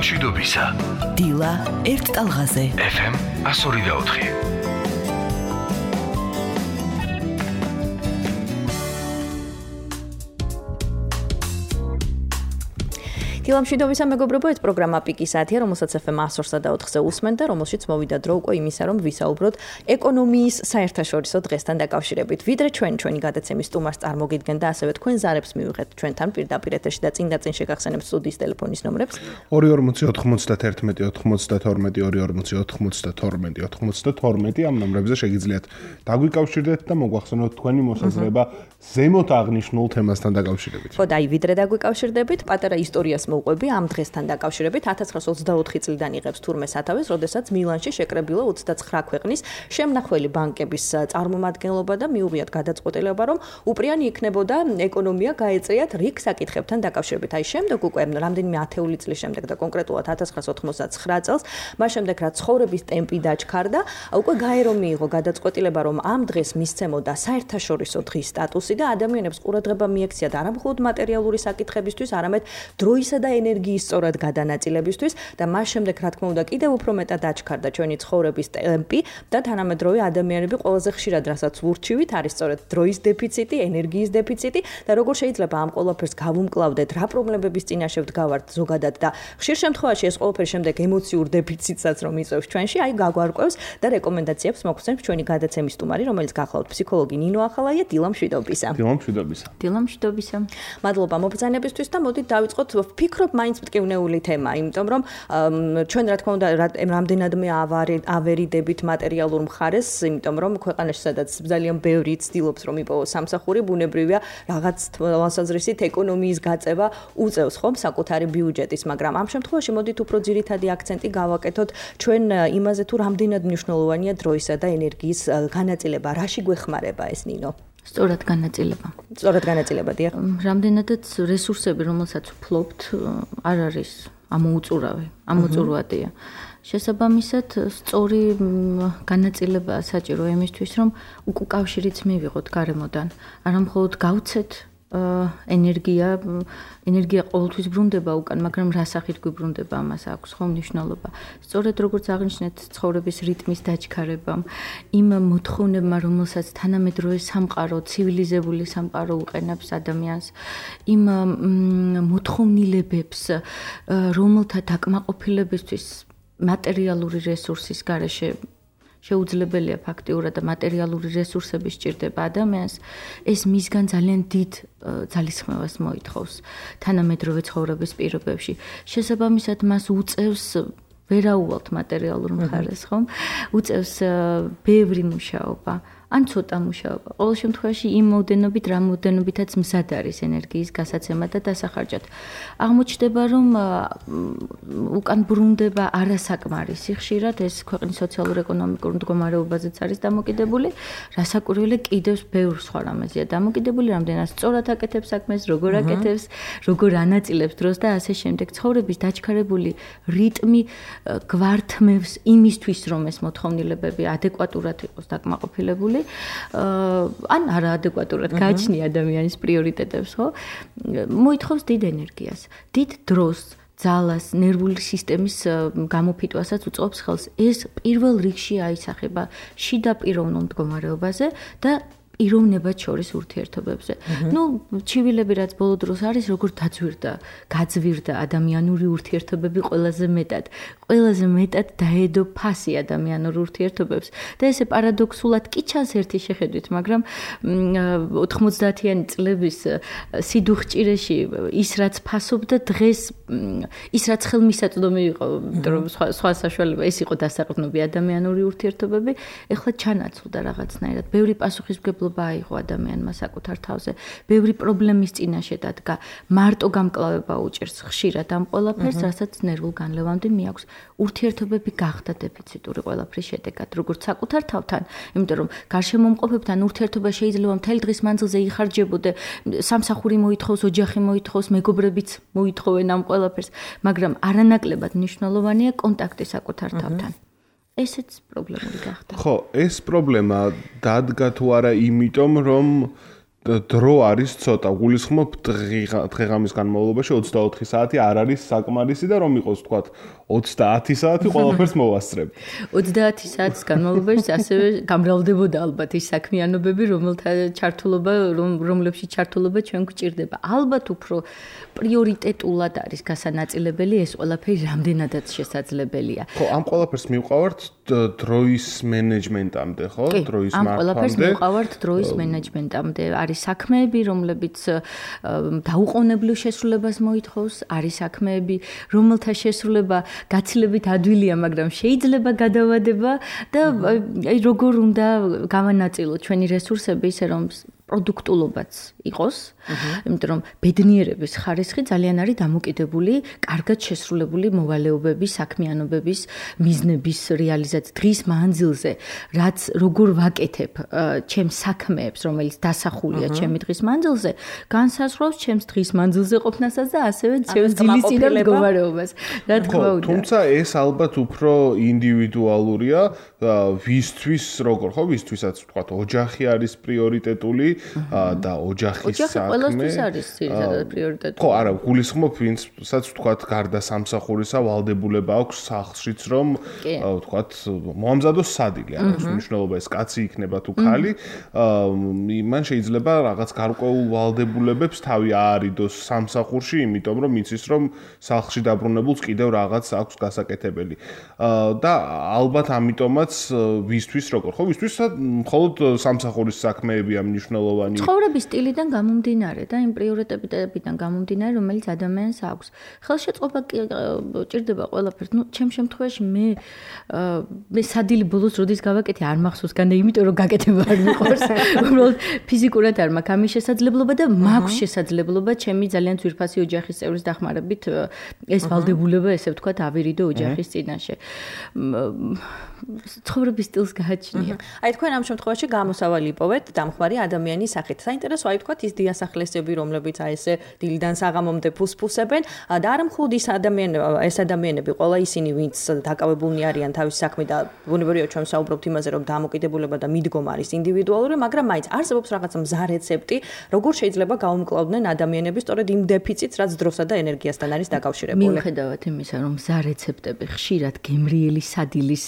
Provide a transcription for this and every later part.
მშვიდობისა. დილა ერთ ტალღაზე. FM 102.4. დილამშვიდობისა მეგობრებო, ეს პროგრამა პიკის საათია, რომელსაც FM 102.4-ზე უსმენთ და რომელშიც მოვიდა დრო უკვე იმისა, რომ ვისაუბროთ ეკონომიის საერთაშორისო დღესთან დაკავშირებით. ვიდრე ჩვენი გადაცემის სტუმარს წარმოგიდგენ და ასევე თქვენ ზარებს მივიღეთ ჩვენთან პირდაპირ ეთერში და წინ შეგახსენებთ სტუდიის ტელეფონის ნომრებს 240-91-92-92 ამ ნომრებზე შეგიძლიათ დაგვიკავშირდეთ და მოგვახსენოთ თქვენი მოსაზრება ზემოთ აღნიშნულ თემასთან დაკავშირებით. ხო, და ვიდრე დაგვიკავშირდებით, პატარა ისტორიას მოვყვები ამ დღესთან დაკავშირებით 1924 წლიდან იღებს თურმე სათავეს, როდესაც მილანში შეკრებილა 29 ქვეყნის შემნახველი ბანკების წარმომადგენლობა და მიუღიათ გადაწყვეტილება, რომ უპრიანი იქნებოდა ეკონომია გაეწიათ რიგ საკითხებთან დაკავშირებით. აი შემდეგ უკვე რამდენიმე ათეული წლის შემდეგ და კონკრეტულად 1999 წელს, მას შემდეგ რაც ცხოვრების ტემპი დაჩქარდა, უკვე გაერო მიიღო გადაწყვეტილება, რომ ამ დღეს მისცემოდა საერთაშორისო დღის სტატუსი და ადამიანებს ყურადღება მიექციათ არა მხოლოდ მატერიალური საკითხებისთვის, არამედ დროისა და ენერგიის სწორად გადანაწილებისთვის და მას შემდეგ რა თქმა უნდა კიდევ უფრო მეტად დაჩქარდა ჩვენი ცხოვრების ტემპი და თანამედროვე ადამიანები ყველაზე ხშირად რასაც ვურჩივით არის სწორედ დროის დეფიციტი, ენერგიის დეფიციტი და როგორ შეიძლება ამ ყველაფერს გავუმკლავდეთ, რა პრობლემების წინაშე ვდგავართ ზოგადად და ხშირ შემთხვევაში ეს ყველაფერი შემდეგ ემოციურ დეფიციტსაც რომ იწვევს ჩვენში, აი გაგვარკვევს და რეკომენდაციებს მოგხსენებს ჩვენი გადაცემის სტუმარი, რომელიც გახლავთ ფსიქოლოგი ნინო ახალაია. დილამშვიდობისა. დილამშვიდობისა. მადლობა მობრძანებისთვის და მოდით დავიწყოთ ვფიქრობ მაინც მტკივნეული თემა, იმიტომ რომ ჩვენ რა თქმა უნდა რამდენადმე ავერიდებით მატერიალურ მხარეს, იმიტომ რომ ქვეყანაში სადაც ძალიან ბევრი ცდილობს რომ იპოვოს სამსახური, ბუნებრივია რაღაც თვალსაზრისით ეკონომიის გაწევა უწევს ხომ საკუთარი ბიუჯეტის, მაგრამ ამ შემთხვევაში მოდით უფრო ძირითადი აქცენტი გავაკეთოთ ჩვენ იმაზე თუ რამდენად მნიშვნელოვანია დროისა და ენერგიის განაწილება, რაში გვეხმარება ეს ნინო? სწორად განაწილება, დიახ. რამდენადაც რესურსები, რომელსაც ვფლობთ, არ არის ამოუწურავადია. შესაბამისად, სწორი განაწილება საჭირო იმისთვის, რომ უკავშირიც მივიღოთ გარემოდან. არა მხოლოდ გავცეთ ენერგია ყოველთვის ბრუნდება უკან, მაგრამ რა სახით გვიბრუნდება, ამას აქვს ხო მნიშვნელობა. სწორედ როგორც აღნიშნეთ, ცხოვრების რიტმის დაჩქარებამ, იმ მოთხოვნებმა, რომელსაც თანამედროვე სამყარო, ცივილიზებული სამყარო უყენებს ადამიანს, იმ მოთხოვნილებებს, რომელთა დაკმაყოფილებისთვის მატერიალური რესურსის გარეშე შეუძლებელია ფაქტიურად და მატერიალური რესურსები სჭირდება ადამიანს, ეს მისგან ძალიან დიდ ძალისხმევას მოითხოვს თანამედროვე ცხოვრების პირობებში. შესაბამისად, მას უწევს ვერაუვალთ მატერიალურ მხარეს, ხომ? უწევს ბევრი მუშაობა. ან ცოტა მუშაობა. ყოველ შემთხვევაში იმ მოდენობით, რა მოდენობითაც მზად არის ენერგიის გასაცემა და დასახარჯად. აღმოჩნდება, რომ უკან ბრუნდება არასაკმარისი ხშირად ეს ქვეყნის სოციალურ-ეკონომიკურ მდგომარეობაზეც არის დამოკიდებული, რასაკვირველია კიდევ ბევრ სხვა რამეზეა დამოკიდებული, რამდენად სწორად აკეთებს საქმეს, როგორ აკეთებს, როგორ ანაწილებს დროს და ასე შემდეგ. ცხოვრების დაჩქარებული რიტმი გვართმევს იმისთვის, რომ ეს მოთხოვნილებები ადეკვატურად იყოს დაკმაყოფილებული. ან არაადეკვატურად გააჩნია ადამიანის პრიორიტეტებს, ხო? მოითხოვს დიდ ენერგიას, დიდ დროს, ძალას, ნერვული სისტემის გამოფიტვასაც უწყობს ხელს. ეს პირველ რიგში აისახება შიდა პიროვნულ მდგომარეობაზე და პიროვნებად შორის ურთიერთობებზე. ჩივილები რაც ბოლო დროს არის, როგორ გაძვირდა ადამიანური ურთიერთობები ყველაზე მეტად დაედო ფასი ადამიანურ ურთიერთობებს და ესე პარადოქსულად კი ჩანს ერთი შეხედვით, მაგრამ 90-იანი წლების სიდუხჭირეში ის რაც ფასობდა დღეს ის რაც ხელმისაწვდომი იყო, რომ სხვა საშუალება ეს იყო დასაყრდნობი ადამიანური ურთიერთობები, ეხლა ჩანაცვლდა რაღაცნაირად. ბევრი პასუხისმგებლობა აიღო ადამიანმა საკუთარ თავზე. ბევრი პრობლემის წინაშე დადგა. მარტო გამკლავება უჭერს ხშირად ამ ყველაფერს, რასაც ნერვულ განლევამდე მიაქვს. ურთიერთობები გახდა დეფიციტური ყველაფრის შედეგად, როგორც საკუთარ თავთან, იმიტომ რომ გარშემომყოფებთან ურთიერთობა შეიძლება მთელი დღის მანძილზე იხარჯებოდე, სამსახური მოითხოვს, ოჯახი მოითხოვს, მეგობრებიც მოითხოვენ ამ ყველაფერს, მაგრამ არანაკლებად მნიშვნელოვანია კონტაქტი საკუთარ თავთან. ესეც პრობლემური გახდა. ხო, ეს პრობლემა დადგა თუ არა იმიტომ, რომ დრო არის ცოტა. გულისხმობ დღე-ღამის განმავლობაში 24 საათი არ არის საკმარისი და რომ იყოს თქვა 30 საათი ყველაფერს მოვასწრებ. 30 საათის განმავლობაში ასევე გამრავლდებოდა ალბათ ის საქმიანობები, რომლებშიც ჩართულობა ჩვენ გვჭირდება. ალბათ უფრო პრიორიტეტულად არის გასანაწილებელი ეს ყველაფერი რამდენადაც შესაძლებელია. ხო, ამ ყველაფერს მივყავართ დროის მენეჯმენტამდე, ხო? დროის ამ მართვამდე. ყველაფერს მივყავართ დროის მენეჯმენტამდე. არის საქმეები, რომლებიც დაუყოვნებლივ შესრულებას მოითხოვს, არის საქმეები, რომელთა შესრულება გაცილებით ადვილია, მაგრამ შეიძლება გადავადება და აი როგორ უნდა გავანაწილოთ ჩვენი რესურსები ისე რომ პროდუქტულობაც იყოს, იმიტომ რომ ბედნიერების ხარისხი ძალიან არის დამოკიდებული კარგად შესრულებული მოვალეობების, საქმიანობების, მიზნების რეალიზაციის დღის მანძილზე, რაც როგორ ვაკეთებ ჩემს საქმეებს, რომელიც დასახულია ჩემი დღის მანძილზე, განსაზღვრავს ჩემს დღის მანძილზე ყოფნასაც და ასევე ჩემს ძილის წინა მდგომარეობას. რა თქმა უნდა. თუმცა ეს ალბათ უფრო ინდივიდუალურია, ვისთვის როგორ ხო, ვისთვისაც ვთქვათ, ოჯახი არის პრიორიტეტული და ოჯახის საქმე. ყველასთვის არის ძირითადად პრიორიტეტი. ხო, არა, გულისხმობ ვინცაც ვთქვათ, გარდა სამსახურისა ვალდებულება აქვს სახლშიც, რომ ვთქვათ, მოამზადოს სადილე, არ აქვს მნიშვნელობა ეს კაცი იქნება თუ ქალი, მან შეიძლება რაღაც გარკვეულ ვალდებულებებს თავი აარიდოს სამსახურში, იმიტომ რომ იცის, რომ სახლში დაბრუნებულს კიდევ რაღაც აქვს გასაკეთებელი. და ალბათ ამიტომაც ვისთვის როგორ ხო, ვისთვის მხოლოდ სამსახურის საქმეებია მნიშვნელოვანი. ცხოვრების სტილიდან გამომდინარე და იმ პრიორიტეტებიდან გამომდინარე, რომელიც ადამიანს აქვს. ხელშეწყობა ჭირდება ყველაფერს. ნუ ჩემ შემთხვევაში მე სადილი ბოლოს როდის გავაკეთე არ მახსოვს, განდა იმიტომ რომ გაკეთება არ მიყვარს. უბრალოდ ფიზიკურად არ მაქვს ამის შესაძლებლობა და მაქვს შესაძლებლობა ჩემი ძალიან ძვირფასი ოჯახის წევრის დახმარებით ეს ვალდებულება, ესე ვთქვათ, ავირიდო ოჯახის წინაშე. ცხოვრების სტილს გააჩნია. აი თქვენ ამ შემთხვევაში გამოსავალი იპოვეთ დამხმარე ადამიანის სახით. საინტერესო აი თქვათ ის დიასახლესები, რომლებიც აი ესე დილიდან საღამომდე ფუსფუსებენ და არ მხოლოდ ეს ადამიანები, ყველა ისინი, ვინც დაკავებულნი არიან თავის საქმით და ბუნებრივია ჩვენ საუბრობთ იმაზე, რომ დამოკიდებულება და მიდგომა არის ინდივიდუალური, მაგრამ მაინც არსებობს რაღაც მზა რეცეპტი, როგორ შეიძლება გაუმკლავდნენ ადამიანები სწორედ იმ დეფიციტს, რაც დროსა და ენერგიასთან არის დაკავშირებული. მიუხედავად იმისა, რომ მზა რეცეპტები ხშირად გემრიელი სადილის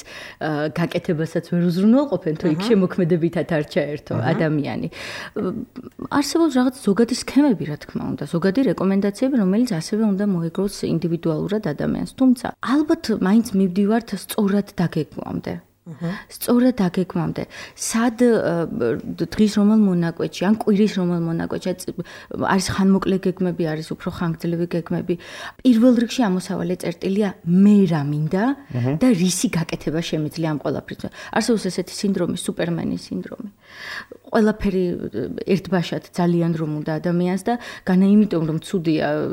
გაკეთებასაც ვერ უზრუნველყოფენ, თუ იქ შემოქმედებითად არ ჩაერთო ადამიანი. არსებობს რაღაც ზოგადი სქემები, რა თქმა უნდა, ზოგადი რეკომენდაციები, რომელიც ასევე უნდა მოეგროს ინდივიდუალურად ადამიანს. თუმცა, ალბათ მაინც მივდივართ სწორად დაგეგმვამდე. სწორად დაგეგმამდე. სად დღის რომელ მონაკვეთში, ან კვირის რომელ მონაკვეთში არის ხანმოკლე გეგმები, არის უფრო ხანგრძლივი გეგმები. პირველ რიგში ამოსავალი წერტილია მე რა მინდა და რისი გაკეთება შემიძლია ამ ყველაფრის. არსებობს ესეთი სინდრომი, სუპერმენის სინდრომი. ყველაფერი ერთბაშად ძალიან რომ უნდა ადამიანს და განა იმიტომ რომ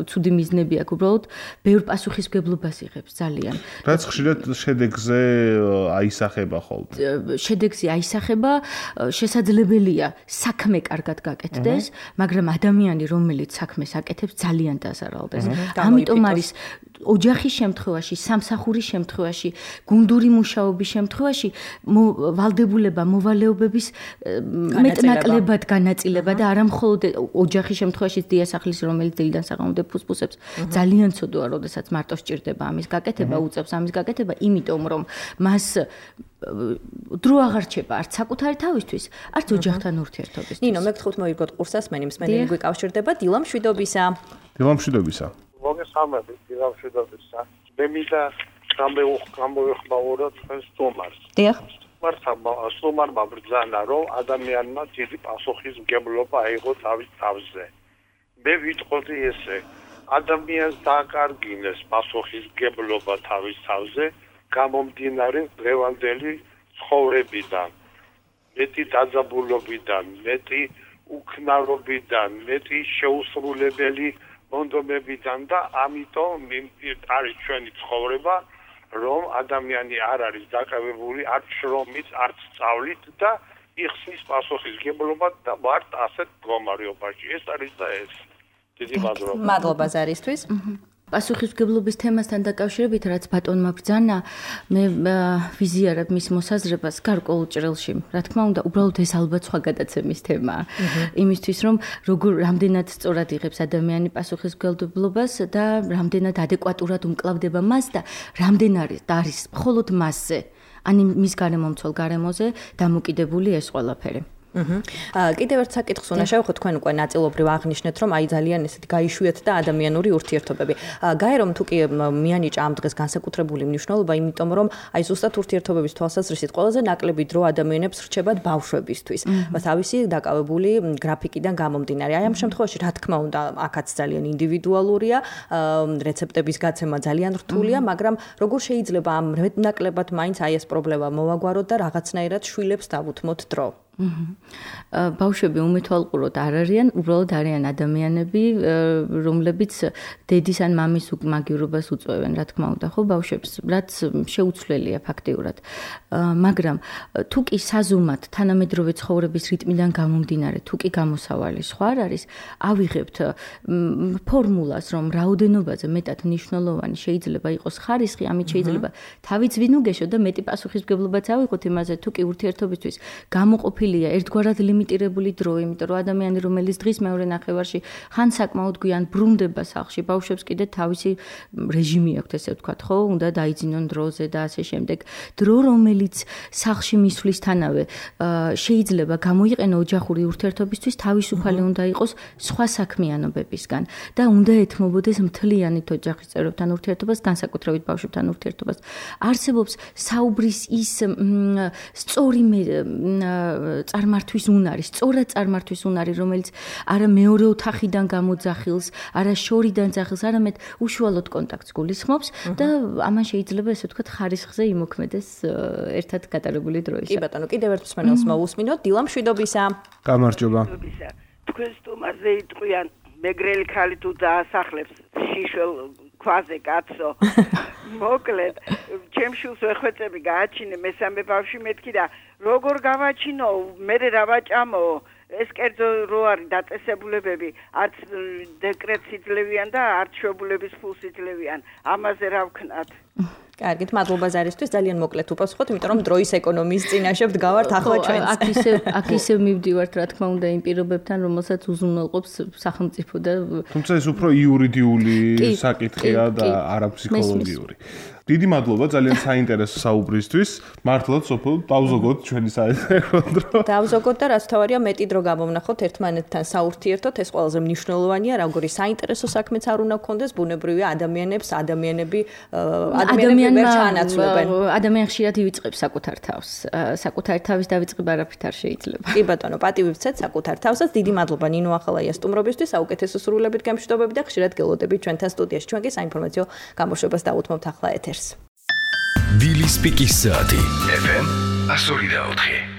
ცუდი მიზნები აქვს, უბრალოდ ბევრ პასუხისმგებლობას იღებს ძალიან. რაც ხშირად შედეგზე აისახება ხოლმე. შედეგზე აისახება, შესაძლებელია საქმე კარგად გაკეთდეს, მაგრამ ადამიანი რომელიც საქმეს აკეთებს ძალიან დაზარალდეს. ამიტომ არის ოჯახის შემთხვევაში, სამსახურის შემთხვევაში, გუნდური მუშაობის შემთხვევაში ვალდებულება, მოვალეობების მეტნაკლებად განაწილება და არა მხოლოდ ოჯახის შემთხვევაში დიასახლის, რომელიც დილიდან საღამომდე ფუსფუსებს, ძალიან ცუდოა, როდესაც მარტო სჭირდება ამის გაკეთება, უწევს ამის გაკეთება, იმიტომ რომ მას დრო აღარ რჩება არც საკუთარი თავისთვის, არც ოჯახთან ურთიერთობისთვის. ნინო, მეგრთხოვთ მოიგოთ ყურსას, მე მსმენელი გვიკავშირდება დილამშვიდობისა. დილამშვიდობისა. მოგესალმებით, დილამშვიდობისა. მე მინდა გამოვიხმაუროთ თქვენს სტუმარს. დიახ. სტუმარმა ბრძანა, რომ ადამიანმა დიდი პასუხისმგებლობა აიღო თავის თავზე. მე ვიტყოდი ესე, ადამიანს დააკარგინეს პასუხისმგებლობა თავის თავზე, გამომდინარე დღევანდელი ცხოვრებიდან, მეტი დაძაბულობიდან, მეტი უქნარობიდან, მეტი შეუსრულებელი მონდომებიდან და ამიტომ არის ჩვენი ცხოვრება, რომ ადამიანი არ არის დაკავებული არც შრომით, არც სწავლით და იხსნის პასუხისმგებლობა და ვართ ასეთ მდგომარეობაში. ეს არის და ეს. დიდი მადლობა. მადლობა ზარისთვის. პასუხისმგებლობის თემასთან დაკავშირებით, რაც ბატონმა ბრძანა, მე ვიზიარებ მის მოსაზრებას გარკვეულ ჭრილში. რა თქმა უნდა, უბრალოდ ეს ალბათ სხვა გადაცემის თემაა. იმისთვის, რომ რამდენად სწორად იღებს ადამიანი პასუხისმგებლობას და რამდენად ადეკვატურად უმკლავდება მას და რამდენად არის მხოლოდ მასზე, ან მის გარემომცველ გარემოზე დამოკიდებული ეს ყველაფერი. კიდევ ერთ საკითხს უნდა შევხვდეთ, თქვენ უკვე ნაწილობრივ აღნიშნეთ, რომ აი ძალიან ესეთი გაიშვიათ და ადამიანური ურთიერთობები. გაი რომ თუ კი მიანიჭა ამ დღეს განსაკუთრებული მნიშვნელობა, იმიტომ რომ აი ზუსტად ურთიერთობების თვალსაზრისით ყველაზე ნაკლები დრო ადამიანებს რჩებათ ბავშვებისთვის. თავისი დაკავებული გრაფიკიდან გამომდინარე. აი ამ შემთხვევაში რა თქმა უნდა, აქაც ძალიან ინდივიდუალურია, რეცეპტების გაცემა ძალიან რთულია, მაგრამ როგორ შეიძლება ამ ნაკლებად მაინც აი ეს პრობლემა მოვაგვაროთ და რაღაცნაირად შვილებს დავუთმოთ დრო? ბავშვები უმეთვალყუროდ არ არიან, უბრალოდ არიან ადამიანები, რომლებიც დედის ან მამის მაგივრობას უწევენ, რა თქმა უნდა, ხო, ბავშვებს, რაც შეუცვლელია ფაქტიურად. მაგრამ თუ კი საზომად თანამედროვე ცხოვრების რიტმიდან გამომდინარე, თუ კი გამოსავალი სხვა არის, ავიღებთ ფორმულას, რომ რაოდენობაზე მეტად მნიშვნელოვანი შეიძლება იყოს ხარისხი, ამით შეიძლება თავიც ვინუგეშო და მეტი პასუხისმგებლობაც ავიღოთ იმაზე, თუ კი ურთიერთობისთვის გამოყოფილია ერთგვარად ლიმიტირებული დრო, იმიტომ რომ ადამიანი, რომელიც დღის მეორე ნახევარში ხან საკმაოდ გვიან ბრუნდება სახლში, ბავშვებს კიდე თავისი რეჟიმი აქვს, ესე ვთქვათ, ხო, უნდა დაიძინონ დროზე და ასე შემდეგ. დრო, რომელიც სახლში მისვლისთანავე შეიძლება გამოიყენო ოჯახური ურთიერთობისთვის, თავისუფალი უნდა იყოს სხვა საქმიანობებისგან და უნდა ეთმობოდეს მთლიანად ოჯახის წევრებთან ურთიერთობას, განსაკუთრებით ბავშვებთან ურთიერთობას. არსებობს საუბრის ის სწორი წარმართვის უნარი, სწორად წარმართვის უნარი, რომელიც არა მეორე ოთახიდან გამოძახილს, არა შორიდან ძახილს, არამედ უშუალოდ კონტაქტს გულისხმობს და ამან შეიძლება ესე ვთქვათ ხარისხზე იმოქმედეს ერთად გატარებული დროის. კი ბატონო, კიდევ ერთ მსმენელს მოვუსმინოთ, დილა მშვიდობისა. გამარჯობა. თქვენ სტუმარზე იტყვიან, მეგრელი ხალი თუ დაასახლებს შიშველ ქვაზე კაცო. მოკლედ, ჩემ შულს ვეხვეწები გააჩინე მესამე ბავშვი მეთქი და როგორ გავაჩინო, მე რა ვაჭამო, ეს კერძო რო არის დაწესებულებები, არც დეკრეტს იძლევიან და არც შვებულების ფულს იძლევიან. ამაზე რა ვქნათ? კარგით, მადლობა ზარისთვის, ძალიან მოკლედ უპასუხოთ, იმიტომ რომ დროის ეკონომიის წინაშე ვდგავართ ახლა ჩვენც. აქ ისევ მივდივართ, რა თქმა უნდა, იმ პირობებთან, რომელსაც უზრუნველყოფს სახელმწიფო და თუმცა ეს უფრო იურიდიული საკითხია და არა ფსიქოლოგიური. დიდი მადლობა ძალიან საინტერესო საუბრისთვის. მართლაც სოფელ დავზოგოთ ჩვენი საერთო დრო. დავზოგოთ და რაც თავარია მეტი დრო გამოვნახოთ ერთმანეთთან საურთიერთოდ, ეს ყველაზე მნიშვნელოვანია, როგორი საინტერესო საქმეც არ უნდა გქონდეს, ბუნებრივია ადამიანები ვერ ჩაანაცვლებენ. ადამიანი ხშირად ივიწყებს საკუთარ თავს. საკუთარ თავის დავიწყება არაფრით არ შეიძლება. კი ბატონო, პატივი ვცეთ საკუთარ თავსაც. დიდი მადლობა ნინო ახალაია სტუმრობისთვის, საუკეთესო სრულებით გემშვიდობები და ხშირად გელოდებით ჩვენთან სტუდიაში. ჩვენ კი საინფორმაციო გამოშვებას დავუთმობთ ახლა ეთერს. დილის პიკის საათი FM 104.